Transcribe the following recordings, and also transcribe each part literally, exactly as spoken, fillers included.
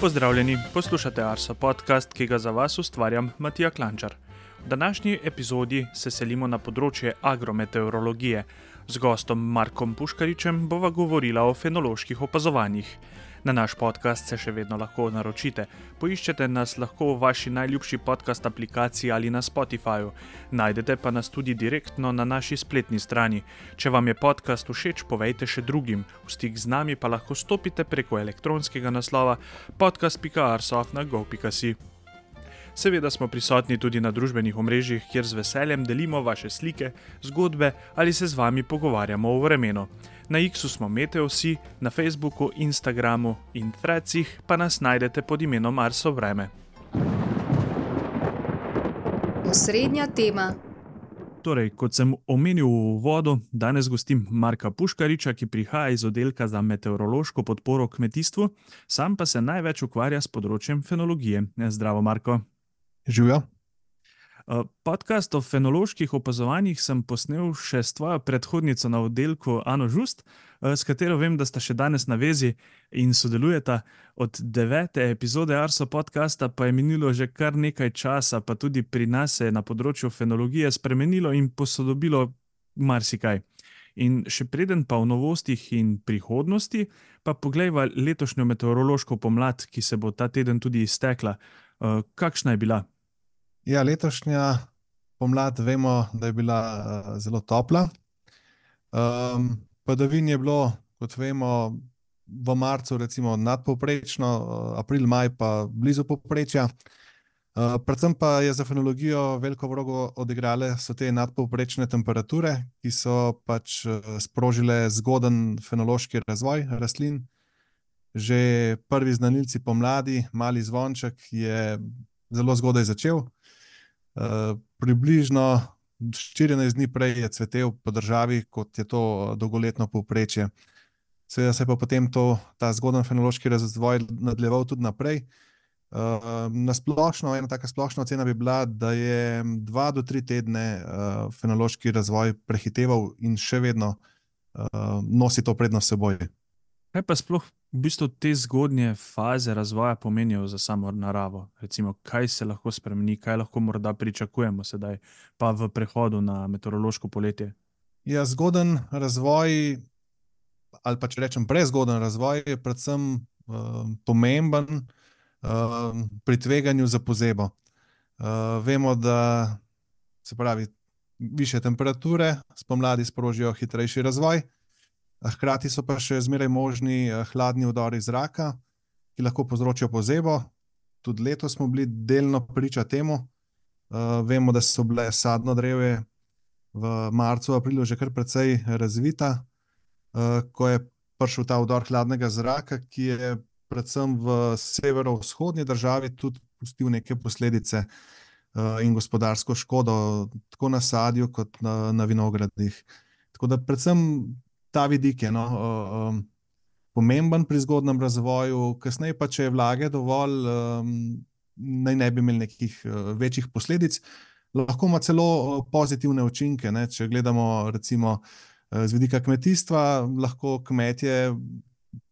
Pozdravljeni, poslušate Arso podcast, ki ga za vas ustvarjam Matija Klančar. V današnji epizodi se selimo na področje agrometeorologije. Z gostom Markom Puškaričem bova govorila o fenoloških opazovanjih. Na naš podcast se še vedno lahko naročite. Poiščete nas lahko v vaši najljubši podcast aplikaciji ali na Spotifyju. Najdete pa nas tudi direktno na naši spletni strani. Če vam je podcast všeč, povejte še drugim. V stik z nami pa lahko stopite preko elektronskega naslova podcast pika arso afna gov pika si. Seveda smo prisotni tudi na družbenih omrežjih, kjer z veseljem delimo vaše slike, zgodbe ali se z vami pogovarjamo o vremenu. Na X-u smo Meteosi, na Facebooku, Instagramu in Threadsih pa nas najdete pod imenom Arso vreme. Osrednja tema. Torej, kot sem omenil v uvodu, danes gostim Marka Puškariča, ki prihaja iz oddelka za meteorološko podporo kmetijstvu, sam pa se največ ukvarja s področjem fenologije. Zdravo, Marko. Živijo. Podcast o fenoloških opazovanjih sem posnel še s tvojo predhodnico na oddelku Ano Žust, s katero vem, da sta še danes na vezi in sodelujeta. Od devete epizode Arso podcasta pa je minilo že kar nekaj časa, pa tudi pri nas se je na področju fenologije spremenilo in posodobilo marsikaj. In še preden pa v novostih in prihodnosti, pa poglejva letošnjo meteorološko pomlad, ki se bo ta teden tudi iztekla. Kakšna je bila? Ja, letošnja pomlad vemo, da je bila uh, zelo topla. Um, padavin je bilo, kot vemo, v marcu recimo nadpovprečno, uh, april, maj pa blizu povprečja. Uh, predvsem pa je za fenologijo veliko vlogo odigrale so te nadpovprečne temperature, ki so pač uh, sprožile zgoden fenološki razvoj rastlin. Že prvi znanilci pomladi, mali zvonček, je zelo zgodaj začel. Uh, približno štirinajst dni prej je cvetel po državi, kot je to dolgoletno povprečje. Seveda se je pa potem to, ta zgoden fenološki razvoj nadaljeval tudi naprej. Uh, na splošno, ena taka splošna ocena bi bila, da je dva do tri tedne uh, fenološki razvoj prehiteval in še vedno uh, nosi to prednost s seboj. Kaj pa sploh v bistvu te zgodnje faze razvoja pomenijo za samo naravo? Recimo, kaj se lahko spremeni, kaj lahko morda pričakujemo sedaj, pa v prehodu na meteorološko poletje? Ja, zgoden razvoj, ali pa če rečem prezgoden razvoj, je predvsem uh, pomemben uh, pri tveganju za pozebo. Uh, vemo, da se pravi, višje temperature spomladi sprožijo hitrejši razvoj. Hkrati so pa še zmeraj možni hladni vdori zraka, ki lahko povzročijo pozebo. Tudi letos smo bili delno priča temu. Uh, vemo, da so bile sadno drevje v marcu, aprilu že kar precej razvita, uh, ko je prišel ta vdor hladnega zraka, ki je predvsem v severovzhodni državi tudi pustil neke posledice uh, in gospodarsko škodo, tako na sadju kot na, na vinogradih. Tako da predvsem ta vidik je no, um, pomemben pri zgodnem razvoju, kasneje pa, če je vlage dovolj, um, naj ne bi imeli nekih uh, večjih posledic. Lahko ima celo pozitivne učinke, ne? Če gledamo recimo uh, z vidika kmetijstva, lahko kmetje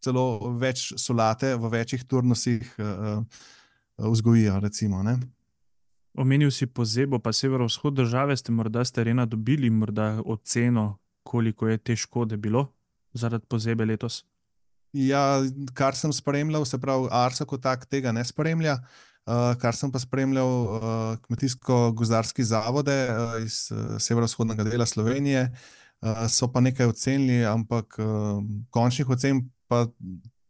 celo več solate v večjih turnusih uh, vzgojijo, recimo, ne? Omenil si pozebo, pa severovzhod države, ste morda s terena dobili morda oceno, koliko je te škode bilo zaradi pozebe letos? Ja, kar sem spremljal, se pravi, Arso kot tak tega ne spremlja, uh, kar sem pa spremljal uh, kmetijsko-gozdarski zavode uh, iz uh, severovzhodnega dela Slovenije, uh, so pa nekaj ocenili, ampak uh, končnih ocen pa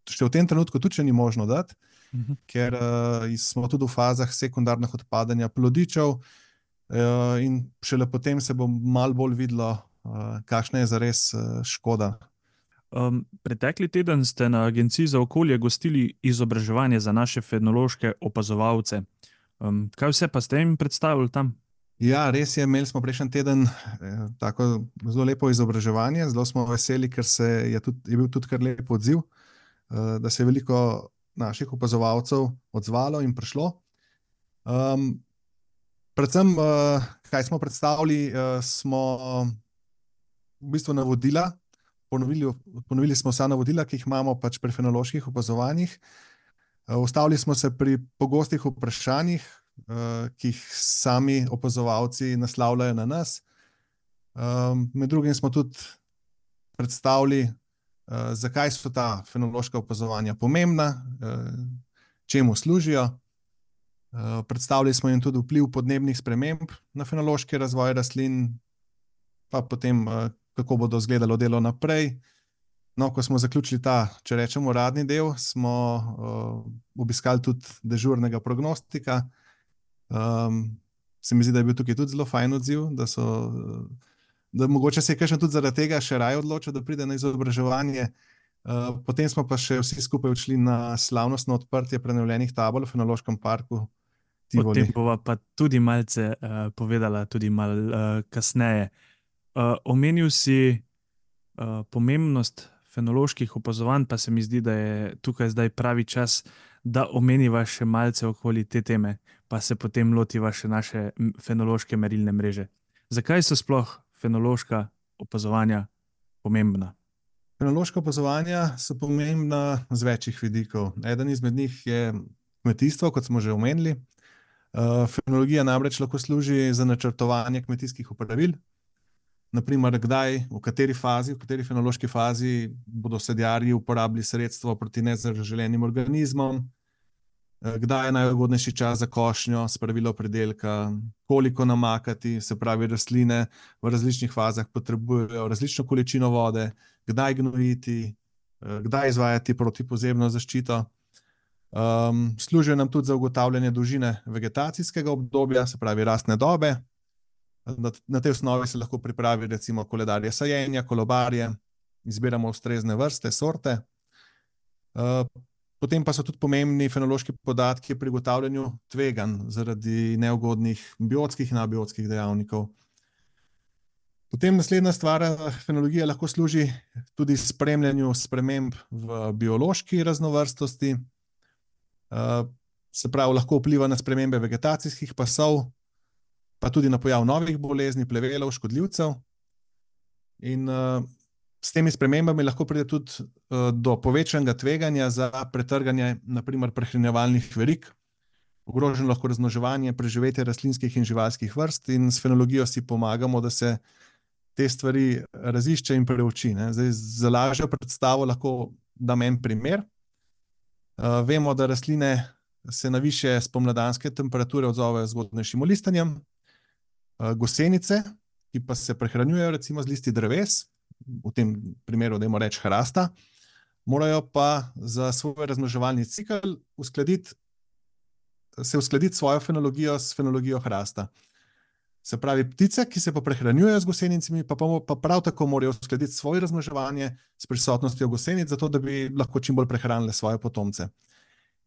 še v tem trenutku tudi še ni možno dati, uh-huh. ker uh, smo tudi v fazah sekundarnih odpadanja plodičev uh, in šele potem se bo malo bolj videlo, Uh, kakšna je zares uh, škoda. Um, pretekli teden ste na Agenciji za okolje gostili izobraževanje za naše fenološke opazovalce. Um, kaj vse pa ste jim predstavili tam? Ja, res je, imeli smo prejšnji teden eh, tako zelo lepo izobraževanje, zelo smo veseli, ker se je, tudi, je bil tudi kar lep odziv, uh, da se je veliko naših opazovalcev odzvalo in prišlo. Um, predvsem, uh, kaj smo predstavili, uh, smo v bistvu navodila, ponovili, ponovili smo vsa navodila, ki jih imamo pač pri fenoloških opazovanjih. Ustavili smo se pri pogostih vprašanjih, ki jih sami opazovalci naslavljajo na nas. Med drugim smo tudi predstavili, zakaj so ta fenološka opazovanja pomembna, čemu služijo. Predstavili smo jim tudi vpliv podnebnih sprememb na fenološki razvoj rastlin, pa potem, kako bodo izgledalo delo naprej. No, ko smo zaključili ta, če rečemo, uradni del, smo obiskali tudi dežurnega prognostika. Se mi zdi, da je bil tukaj tudi zelo fajn odziv, da so, da mogoče se je kakšen tudi zaradi tega še raje odločil, da pride na izobraževanje. Potem smo pa še vsi skupaj odšli na slavnostno odprtje prenovljenih tabel v Fenološkem parku Tivoli. O tem bova pa tudi malce uh, povedala, tudi malo uh, kasneje. Uh, omenil si uh, pomembnost fenoloških opazovanj, pa se mi zdi, da je tukaj zdaj pravi čas, da omeniva še malce okoli te teme, pa se potem lotiva še naše fenološke merilne mreže. Zakaj so sploh fenološka opazovanja pomembna? Fenološka opazovanja so pomembna z večjih vidikov. Eden izmed njih je kmetijstvo, kot smo že omenili. Fenologija namreč lahko služi za načrtovanje kmetijskih opravil. Naprimer, kdaj, v kateri fazi, v kateri fenološki fazi bodo sadjarji uporabili sredstvo proti nezaželenim organizmom, kdaj je najugodnejši čas za košnjo, spravilo pridelka, koliko namakati, se pravi rastline v različnih fazah potrebujejo različno količino vode, kdaj gnojiti, kdaj izvajati protipozebno zaščito. Um, služijo nam tudi za ugotavljanje dolžine vegetacijskega obdobja, se pravi rastne dobe. Na, na tej osnovi se lahko pripravi recimo koledarje sajenja, kolobarje, izbiramo ustrezne vrste, sorte. Uh, potem pa so tudi pomembni fenološki podatki pri ugotavljanju tveganj zaradi neugodnih biotskih in abiotskih dejavnikov. Potem naslednja stvar, fenologija lahko služi tudi spremljanju sprememb v biološki raznovrstnosti. Uh, se pravi, lahko vpliva na spremembe vegetacijskih pasov, pa tudi na pojav novih bolezni, plevelov, škodljivcev. In uh, s temi spremembami lahko pride tudi uh, do povečanega tveganja za pretrganje, naprimer prehranjevalnih verig. Ogroženo lahko razmnoževanje, preživetje rastlinskih in živalskih vrst in s fenologijo si pomagamo, da se te stvari razišče in preuči. Ne? Zdaj, za lažjo predstavo lahko dam en primer. Uh, vemo, da rastline se na višje spomladanske temperature odzovejo z zgodnejšim listanjem. Uh, gosenice, ki pa se prehranjujejo recimo z listi dreves, v tem primeru dajmo reči hrasta, morajo pa za svoj razmnoževalni cikel uskladiti, se uskladiti svojo fenologijo s fenologijo hrasta. Se pravi, ptice, ki se pa prehranjujejo z gosenicami, pa, pa prav tako morajo uskladiti svoje razmnoževanje s prisotnostjo gosenic, zato da bi lahko čim bolj prehranile svoje potomce.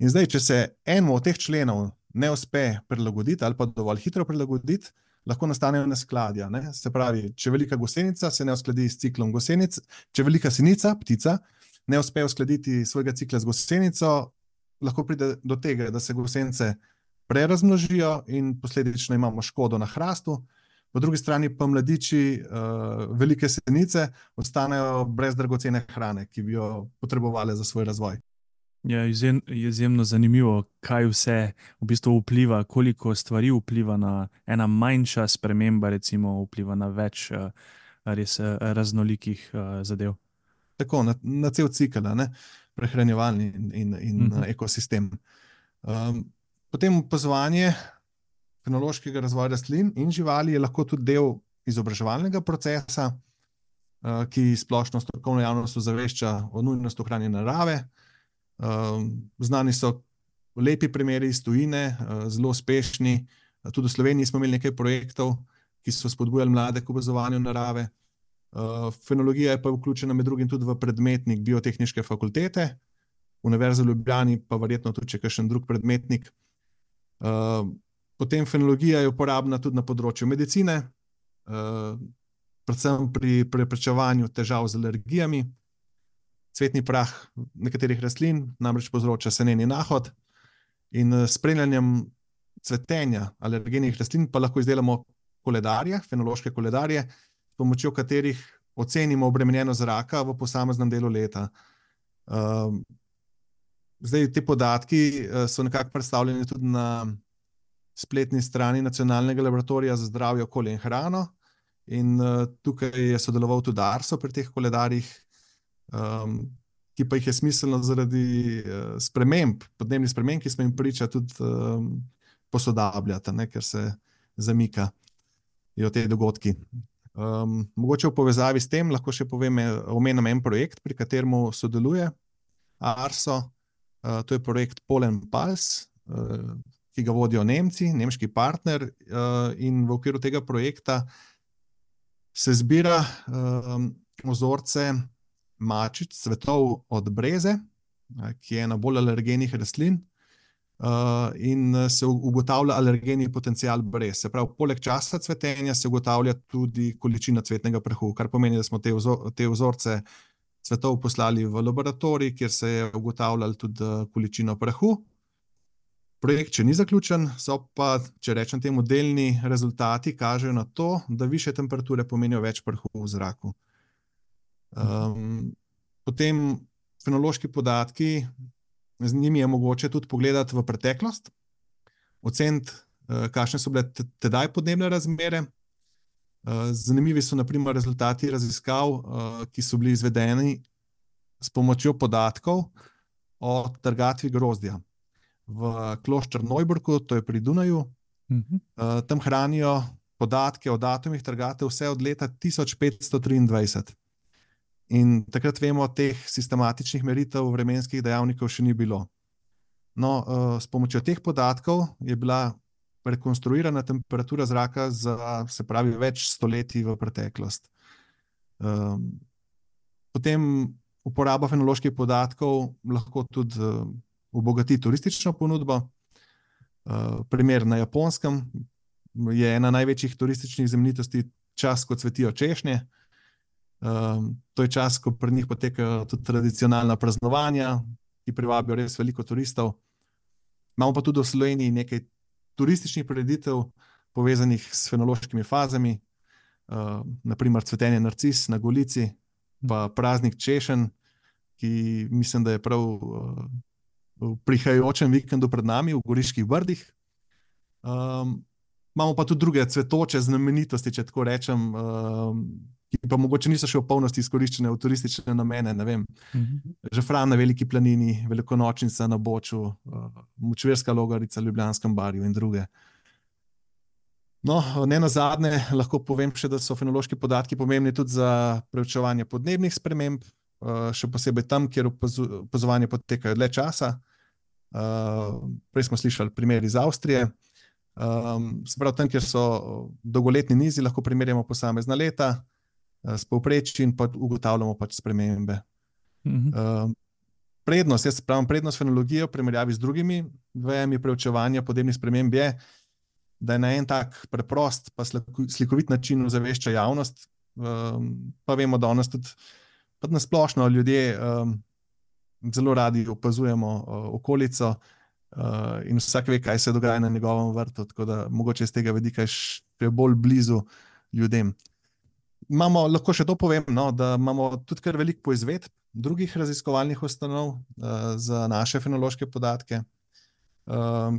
In zdaj, če se enemu od teh členov ne uspe prilagoditi ali pa dovolj hitro prilagoditi, lahko nastanejo neskladja. Ne? Se pravi, če velika gosenica se ne uskladi s ciklom gosenic, če velika sinica, ptica, ne uspe uskladiti svojega cikla z gosenico, lahko pride do tega, da se gosenice prerazmnožijo in posledično imamo škodo na hrastu. Po drugi strani pa mladiči uh, velike senice ostanejo brez dragocene hrane, ki bi jo potrebovali za svoj razvoj. Je izjem, izjemno zanimivo, kaj vse v bistvu vpliva, koliko stvari vpliva na ena manjša sprememba, recimo vpliva na več uh, res uh, raznolikih uh, zadev. Tako, na, na cel cikel, ne? Prehranjevalni in, in, in uh-huh. ekosistem. Um, Potem opazovanje fenološkega razvoja rastlin in živali je lahko tudi del izobraževalnega procesa, ki splošno strokovno javnost ozavešča o nujnosti ohranjanja narave. Znani so lepi primeri iz tujine, zelo uspešni. Tudi v Sloveniji smo imeli nekaj projektov, ki so spodbujali mlade k opazovanju narave. Fenologija je pa vključena med drugim tudi v predmetnik Biotehniške fakultete, Univerze v Ljubljani pa verjetno tudi še kakšen drug predmetnik. Uh, potem fenologija je uporabna tudi na področju medicine, uh, predvsem pri preprečevanju težav z alergijami. Cvetni prah nekaterih rastlin namreč povzroča seneni nahod in s spremljanjem cvetenja alergenih rastlin pa lahko izdelamo koledarje, fenološke koledarje, s pomočjo katerih ocenimo obremenjenost zraka v posameznem delu leta. Uh, zdaj te podatki uh, so nekako predstavljeni tudi na spletni strani Nacionalnega laboratorija za zdravje, okolje in hrano. In uh, tukaj je sodeloval tudi Arso pri teh koledarjih, um, ki pa jih je smiselno zaradi uh, sprememb, podnebnih sprememb, ki smo jim priča, tudi um, posodabljati, ne, ker se zamikajo te dogodki. Um, mogoče v povezavi s tem lahko še povem, omenim en projekt, pri katerem sodeluje Arso. Uh, to je projekt Pollen Pulse, uh, ki ga vodijo Nemci, nemški partner, uh, in v okviru tega projekta se zbira um, vzorce mačic, cvetov od breze, ki je ena bolj alergenih rastlin, uh, in se ugotavlja alergeni potencial brez. Se pravi, poleg časa cvetenja se ugotavlja tudi količina cvetnega prahu, kar pomeni, da smo te, vzor, te vzorce cvetov poslali v laboratorij, kjer se je ugotavljalo tudi količino prahu. Projekt še ni zaključen, so pa, če rečem temu, delni rezultati kažejo na to, da višje temperature pomenijo več prahu v zraku. Um, potem fenološki podatki, z njimi je mogoče tudi pogledati v preteklost, oceniti, uh, kakšne so bile tedaj podnebne razmere. Uh, zanimivi so na primer rezultati raziskav, uh, ki so bili izvedeni s pomočjo podatkov o trgatvi grozdja v Kloščer Neuburgu, to je pri Dunaju. Uh-huh. Uh, tam hranijo podatke o datumih trgate vse od leta tisoč petsto triindvajset. In takrat vemo, teh sistematičnih meritev vremenskih dejavnikov še ni bilo. No, uh, s pomočjo teh podatkov je bila rekonstruirana temperatura zraka za, se pravi, več stoletij v preteklost. Uh, potem uporaba fenoloških podatkov lahko tudi uh, obogati turistično ponudbo. Uh, primer na Japonskem je ena največjih turističnih znamenitosti čas, ko cvetijo češnje. Uh, to je čas, ko pri njih potekajo tudi tradicionalna praznovanja, ki privabijo res veliko turistov. Imamo pa tudi v Sloveniji nekaj turističnih prireditev povezanih s fenološkimi fazami, uh, naprimer cvetenje narcis na Golici, pa praznik češenj, ki mislim, da je prav uh, v prihajajočem vikendu pred nami v Goriških brdih. Um, imamo pa tudi druge cvetoče znamenitosti, če tako rečem, um, ki pa mogoče niso še v polnosti izkoriščene v turistične namene, ne vem. Uh-huh. Žafran na Veliki planini, Velikonočnica na Boču, uh, Močvirska Logarica, Ljubljanskem barju in druge. No, ne nazadnje lahko povem še, da so fenološki podatki pomembni tudi za preučevanje podnebnih sprememb, uh, še posebej tam, kjer opazovanja potekajo dlje časa. Uh, prej smo slišali primer iz Avstrije. Um, se pravi, tam, kjer so dolgoletni nizi, lahko primerjamo posamezna leta uh, s povprečji in pa ugotavljamo pač spremembe. Uh-huh. Uh, prednost, jaz pravim, prednost fenologije v primerjavi z drugimi vejami preučevanja podnebnih sprememb je, da je na en tak preprost pa slikovit način ozavešča javnost. Um, pa vemo, da danes tudi pa na splošno ljudje um, zelo radi opazujemo uh, okolico uh, in vsak ve, kaj se dogaja na njegovem vrtu, tako da mogoče iz tega vidika še bolj blizu ljudem. Imamo, lahko še to povem, no, da imamo tudi kar veliko poizvedb drugih raziskovalnih ustanov uh, za naše fenološke podatke, uh,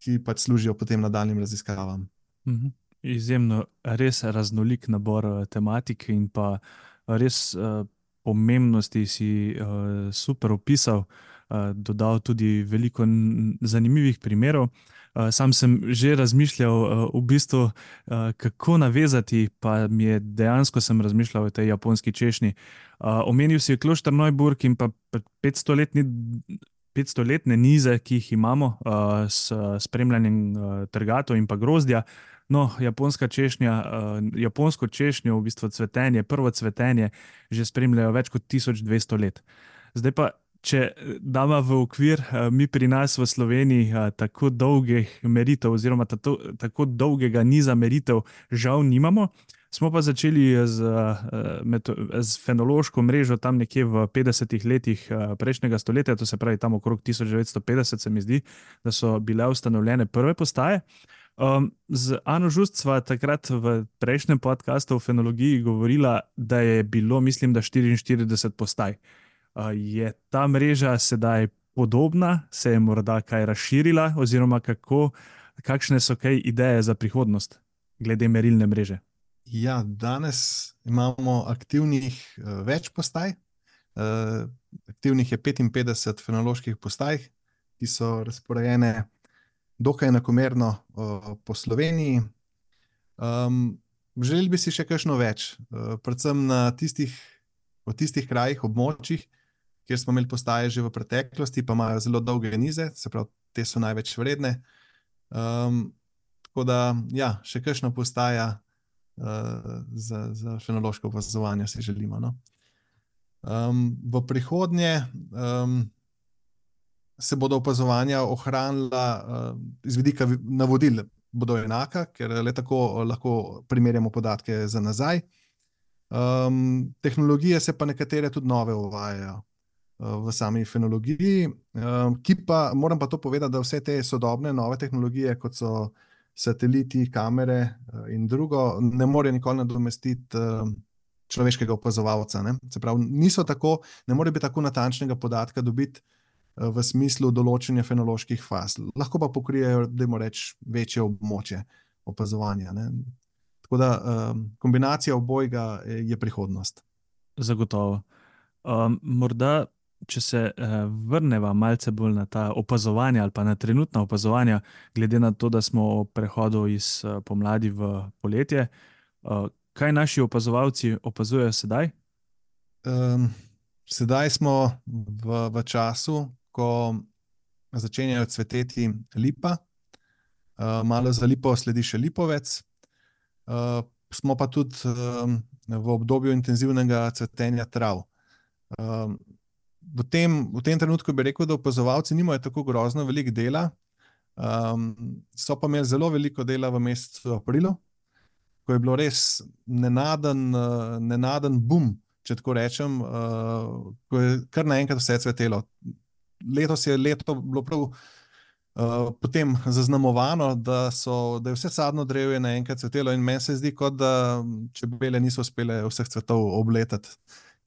ki pač služijo potem nadaljnjim raziskavam. Mhm. Izjemno, res raznolik nabor tematik in pa res uh, pomembnosti si uh, super opisal, uh, dodal tudi veliko n- zanimivih primerov. Uh, sam sem že razmišljal uh, v bistvu, uh, kako navezati, pa mi je dejansko sem razmišljal o tej japonski češnji. Uh, omenil si Kloščer Neuburg in pa petstoletni petstoletne nize, ki jih imamo uh, s spremljanjem uh, trgatov in pa grozdja. No, japonska češnja, uh, japonsko češnjo, v bistvu cvetenje, prvo cvetenje, že spremljajo več kot tisoč dvesto let. Zdaj pa, če damo v okvir, uh, mi pri nas v Sloveniji uh, tako dolgih meritev oziroma tato, tako dolgega niza meritev žal nimamo, smo pa začeli z, z fenološko mrežo tam nekje v petdesetih letih prejšnjega stoletja, to se pravi tam okrog tisoč devetsto petdeset, se mi zdi, da so bile ustanovljene prve postaje. Um, z Ano Žust sva takrat v prejšnjem podcastu o fenologiji govorila, da je bilo, mislim, da štiriinštirideset postaj. Uh, je ta mreža sedaj podobna, se je morda kaj razširila, oziroma kako, kakšne so kaj ideje za prihodnost glede merilne mreže? Ja, danes imamo aktivnih uh, več postaj. Uh, aktivnih je petinpetdeset fenoloških postaj, ki so razporejene dokaj enakomerno uh, po Sloveniji. Um, želeli bi si še kakšno več, uh, predvsem na tistih, v tistih krajih, območjih, kjer smo imeli postaje že v preteklosti, pa imajo zelo dolge nize, se pravi, te so največ vredne. Um, tako da, ja, še kakšna postaja uh, za, za fenološko opazovanje si želimo. No? Um, v prihodnje um, se bodo opazovanja ohranila uh, iz vidika navodil, bodo enaka, ker le tako lahko primerjamo podatke za nazaj. Um, tehnologije se pa nekatere tudi nove uvajajo uh, v sami fenologiji, um, ki pa, moram pa to povedati, da vse te sodobne nove tehnologije, kot so sateliti, kamere uh, in drugo, ne morejo nikoli nadomestiti uh, človeškega opazovalca. Ne? Se pravi, niso tako, ne more biti tako natančnega podatka dobiti uh, v smislu določenja fenoloških faz. Lahko pa pokrijejo, dajmo reči, večje območje opazovanja. Ne? Tako da um, kombinacija obojega je prihodnost. Zagotovo. Um, morda, če se uh, vrneva malce bolj na ta opazovanja ali pa na trenutna opazovanja, glede na to, da smo v prehodu iz uh, pomladi v poletje, uh, kaj naši opazovalci opazujejo sedaj? Um, sedaj smo v, v času, ko začenjajo cveteti lipa, uh, malo za lipo sledi še lipovec. Uh, smo pa tudi um, v obdobju intenzivnega cvetenja trav. Um, v, tem, v tem trenutku bi rekel, da opazovalci nimajo tako grozno veliko dela, um, so pa imeli zelo veliko dela v mesecu aprilu, ko je bilo res nenaden, uh, nenaden boom, če tako rečem, uh, ko je kar naenkrat vse cvetelo. Letos je leto bilo prav Uh, potem zaznamovano, da, so, da je vse sadno drevje naenkrat cvetelo in meni se zdi, kot da čebele niso uspele vseh cvetov obletati,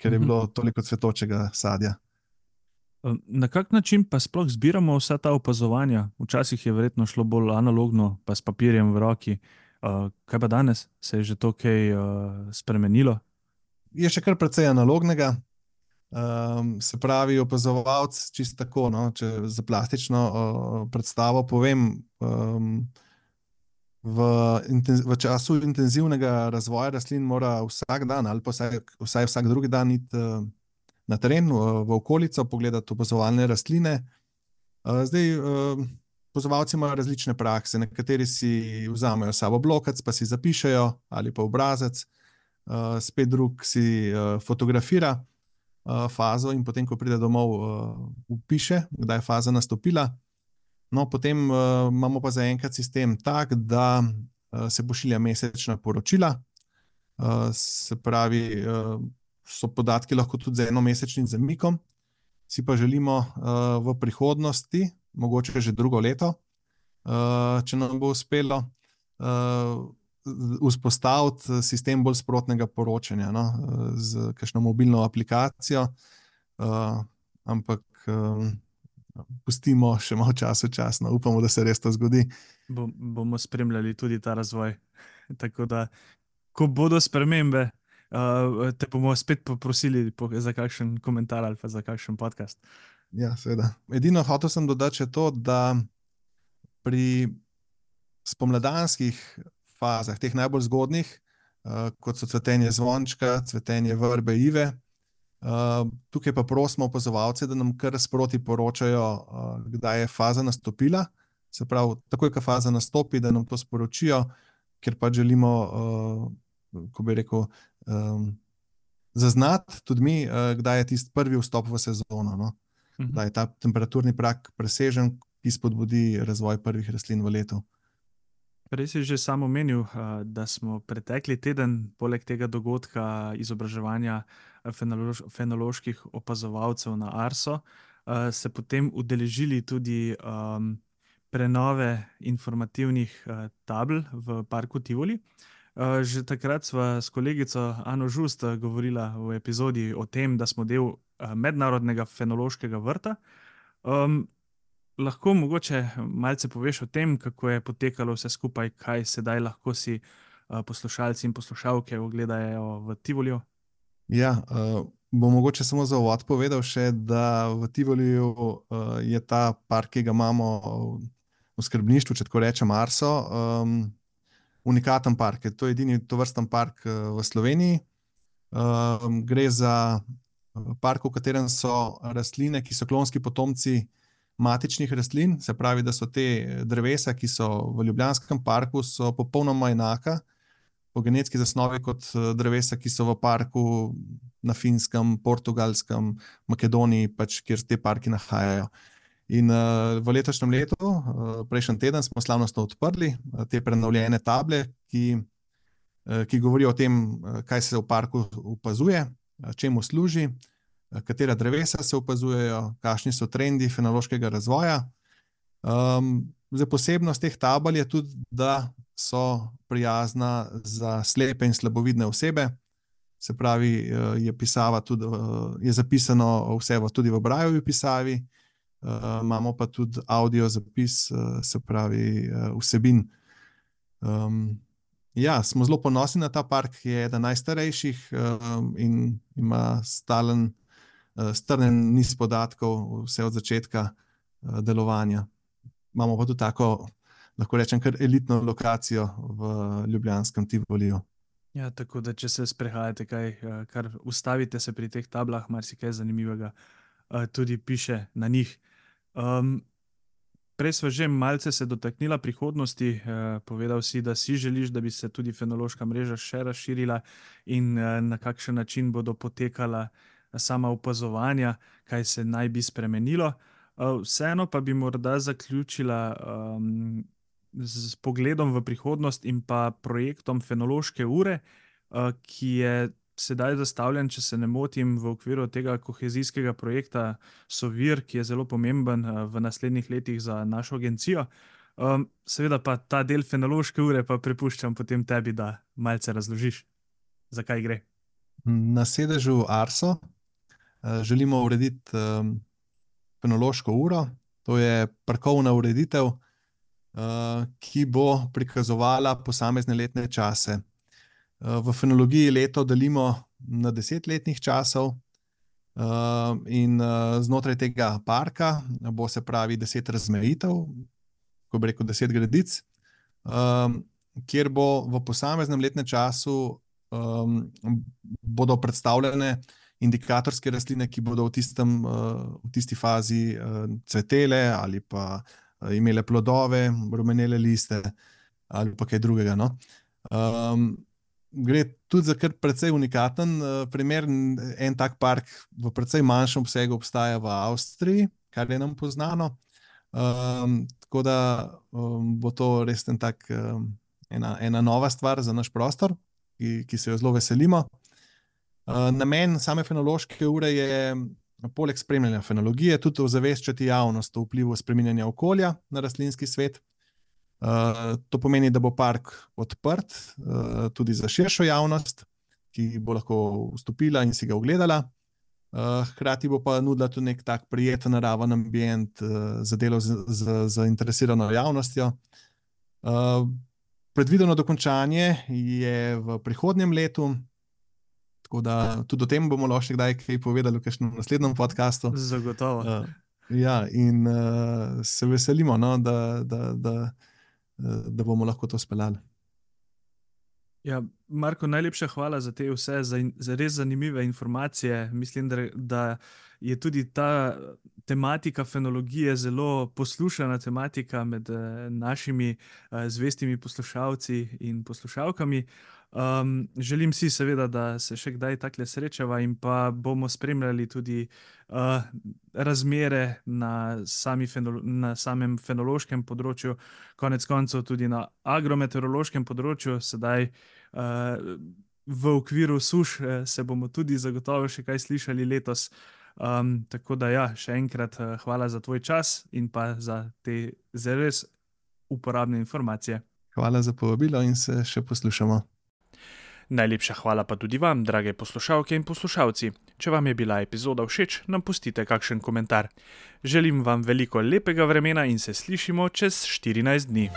ker je bilo toliko cvetočega sadja. Na kak način pa sploh zbiramo vsa ta opazovanja? Včasih je verjetno šlo bolj analogno, pa s papirjem v roki. Uh, kaj pa danes? Se je že to kaj uh, spremenilo? Je še kar precej analognega. Um, se pravi, opazovalec, čisto tako, no, če za plastično uh, predstavo povem, um, v, intenz, v času intenzivnega razvoja rastlin mora vsak dan ali pa vsaj, vsaj vsak drugi dan iti uh, na teren, uh, v okolico, pogledati opazovalne rastline. Uh, zdaj, uh, opazovalci imajo različne prakse, nekateri si vzamejo sabo blokec, pa si zapišejo ali pa obrazec, uh, spet drug si uh, fotografira fazo in potem, ko pride domov, upiše, kdaj je faza nastopila. No, potem uh, imamo pa zaenkrat sistem tak, da uh, se pošilja mesečna poročila. Uh, se pravi, uh, so podatki lahko tudi z enomesečnim zamikom. Si pa želimo uh, v prihodnosti, mogoče že drugo leto, uh, če nam bo uspelo, uh, vzpostaviti sistem bolj sprotnega poročanja, no, z kakšno mobilno aplikacijo, uh, ampak um, pustimo še malo časa, časno, upamo, da se res to zgodi. Bom, bomo spremljali tudi ta razvoj. Tako da, ko bodo spremembe, uh, te bomo spet poprosili po, za kakšen komentar ali pa za kakšen podcast. Ja, seveda. Edino hotel sem dodati še to, da pri spomladanskih fazah, teh najbolj zgodnih, uh, kot so cvetenje zvončka, cvetenje vrbe, ive. Uh, tukaj pa prosimo opazovalce, da nam kar sproti poročajo, uh, kdaj je faza nastopila. Se pravi, takoj, ko faza nastopi, da nam to sporočijo, ker pa želimo, uh, ko bi rekel, um, zaznati tudi mi, uh, kdaj je tisti prvi vstop v sezono. No? Uh-huh. Da je ta temperaturni prak presežen, ki spodbudi razvoj prvih rastlin v letu. Prej si že sam omenil, da smo pretekli teden, poleg tega dogodka izobraževanja fenološ fenoloških opazovalcev na Arso, se potem udeležili tudi um, prenove informativnih tabel v parku Tivoli. Že takrat sva s kolegico Ano Žust govorila v epizodi o tem, da smo del mednarodnega fenološkega vrta. Um, lahko mogoče malce poveš o tem, kako je potekalo vse skupaj, kaj sedaj lahko si uh, poslušalci in poslušalke ogledajo v Tivoliju? Ja, uh, bom mogoče samo za uvod povedal še, da v Tivoliju uh, je ta park, ki ga imamo v skrbništvu, če tako rečem, Arso, um, unikaten park. To je edini tovrsten park uh, v Sloveniji. Um, gre za park, v katerem so rastline, ki so klonski potomci matičnih rastlin, se pravi, da so te drevesa, ki so v Ljubljanskem parku, so popolnoma enaka po genetski zasnovi kot drevesa, ki so v parku na Finskem, Portugalskem, Makedoniji, pač, kjer te parki nahajajo. In uh, v letošnjem letu, uh, prejšnji teden, smo slavnostno odprli uh, te prenovljene table, ki, uh, ki govorijo o tem, uh, kaj se v parku opazuje, uh, čemu služi, uh, katera drevesa se opazujejo, kakšni so trendi fenološkega razvoja. Um, zdaj, posebnost teh tabel je tudi, da so prijazna za slepe in slabovidne osebe. Se pravi, uh, je pisava tudi, uh, je zapisano vse v, tudi v Braillevi pisavi. Uh, imamo pa tudi audio zapis, uh, se pravi, uh, vsebin. Um, ja, smo zelo ponosni na ta park, ki je eden najstarejših um, in ima stalen, uh, strnen niz podatkov, vse od začetka uh, delovanja. Imamo pa tudi tako, lahko rečem, kar elitno lokacijo v ljubljanskem Tivoliju. Ja, tako da, če se sprehajate, kaj, kar ustavite se pri teh tablah, marsikaj zanimivega uh, tudi piše na njih. Um, prej sva že malce se dotaknila prihodnosti, uh, povedal si, da si želiš, da bi se tudi fenološka mreža še razširila in uh, na kakšen način bodo potekala sama opazovanja, kaj se naj bi spremenilo. Uh, vseeno pa bi morda zaključila um, z pogledom v prihodnost in pa projektom fenološke ure, uh, ki je sedaj zastavljen, če se ne motim, v okviru tega kohezijskega projekta Sovir, ki je zelo pomemben v naslednjih letih za našo agencijo. Um, seveda pa ta del fenološke ure pa prepuščam potem tebi, da malce razložiš, zakaj gre. Na sedežu Arso uh, želimo urediti um, fenološko uro. To je parkovna ureditev, uh, ki bo prikazovala posamezne letne čase. V fenologiji leto delimo na deset letnih časov in znotraj tega parka bo, se pravi, deset razmejitev, ko bi rekel deset gredic, kjer bo v posameznem letnem času bodo predstavljene indikatorske rastline, ki bodo v, tistem, v tisti fazi cvetele ali pa imele plodove, rumenele liste ali pa kaj drugega, no. Gre tudi za kar precej unikaten uh, primer. En tak park v precej manjšem obsegu obstaja v Avstriji, kar je nam poznano. Um, tako da um, bo to res en tak, um, ena, ena nova stvar za naš prostor, ki, ki se jo zelo veselimo. Uh, namen same fenološke ure je, poleg spremljanja fenologije, tudi ozaveščati javnost o vplivu spreminjanja okolja na rastlinski svet. Uh, to pomeni, da bo park odprt uh, tudi za širšo javnost, ki bo lahko vstopila in si ga ogledala. Uh, hkrati bo pa nudila tudi nek tak prijeten naraven ambient uh, za delo z, z, z zainteresirano javnostjo. Uh, predvideno dokončanje je v prihodnjem letu, tako da tudi o tem bomo lahko še kdaj kaj povedali v kakšnem naslednjem podcastu. Zagotovo. Uh, ja, in uh, se veselimo, no, da, da, da da bomo lahko to speljali. Ja, Marko, najlepša hvala za te vse, za, in, za res zanimive informacije. Mislim, da, da je tudi ta tematika fenologije zelo poslušana tematika med eh, našimi eh, zvestimi poslušalci in poslušalkami. Um, želim si seveda, da se še kdaj takle srečava in pa bomo spremljali tudi uh, razmere na, sami fenolo, na samem fenološkem področju, konec koncev tudi na agrometeorološkem področju. Sedaj uh, v okviru suš uh, se bomo tudi zagotovo še kaj slišali letos. Um, tako da ja, še enkrat uh, hvala za tvoj čas in pa za te zelo uporabne informacije. Hvala za povabilo in se še poslušamo. Najlepša hvala pa tudi vam, drage poslušalke in poslušalci. Če vam je bila epizoda všeč, nam pustite kakšen komentar. Želim vam veliko lepega vremena in se slišimo čez štirinajst dni.